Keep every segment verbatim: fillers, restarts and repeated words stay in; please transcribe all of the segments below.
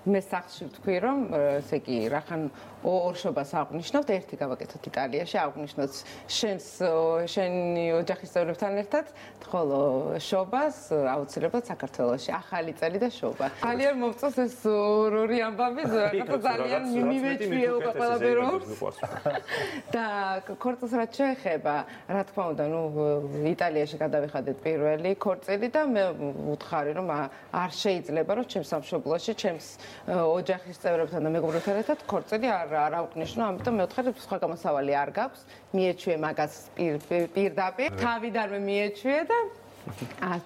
მე სახში ვთქვი რომ ესე იგი რახან ორ შობას აღნიშნავთ, ერთი გავაკეთოთ იტალიაში, აღნიშნოთ შენს შენი ოჯახის წევრებთან ერთად, ხოლო შობას აუცილებლად საქართველოში, ახალი წელი და შობა. ძალიან მომწონს ეს ორი ამბავი, რაღაცა ძალიან მიმეჩვია უკვე ყველაფერს. და ქორწილს რაც შეეხება, რა თქმა უნდა, ნუ იტალიაში გადავიხადეთ პირველი ქორწილი და მე ვუთხარი რომ არ შეიძლება რომ ჩემს სამშობლოში, ჩემს ოჯახის წევრებთან და მეგობრებთან ერთად ქორწილი არ არ აღვნიშნო, ამიტომ მე ვთხარი სხვა გამოსავალი არ გაქვს, მიეჩვიე მაგას პირდაპირ, თავიდანვე მიეჩვიე და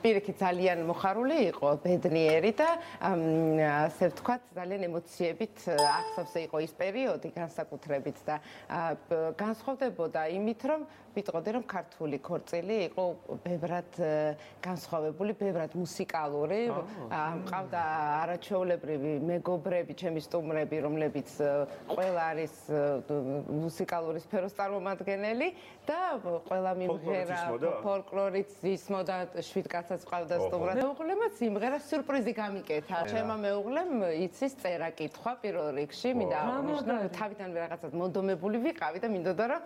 პირიქით ძალიან მოხარული იყო, ბედნიერი და ასე ვთქვათ, ძალიან ემოციებით ახსოვს იყო ის პერიოდი განსაკუთრებით და განსხვავდებოდა იმით, რომ ვიტყოდი რომ ქართული ქორწილი იყო ბევრად განსხვავებული, ბევრად მუსიკალური, მყავდა არაჩვეულებრივი მეგობრები, ჩემი სტუმრები, რომლებიც ყველა არის მუსიკალური სფეროს წარმომადგენელი და ყველა მიმღერა ფოლკლორიც ისმოდა შვიდ კაცაც ყავდა სტუმრად. მეუღლემაც იმღერა სიურპრიზი გამიკეთა. ჩემმა მეუღლემ იცის წერა-კითხვა პირველ რიგში, მინდა აღნიშნო, თავიდანვე რაღაცად მონდომებული ვიყავი და მინდოდა რომ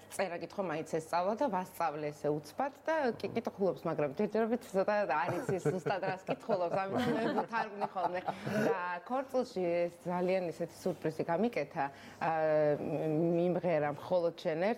წერა-კითხვა მაინც ესწავლა და ვასწავლე ესე უცბად და კი კითხულობს, მაგრამ ჯერჯერობით ცოტა არ იცის ზუსტად რას კითხულობს, ამიტომ მე ვთარგმნი ხოლმე. და ქორწილში ეს ძალიან ისეთი სიურპრიზი გამიკეთა, მიმღერა მხოლოდ შენ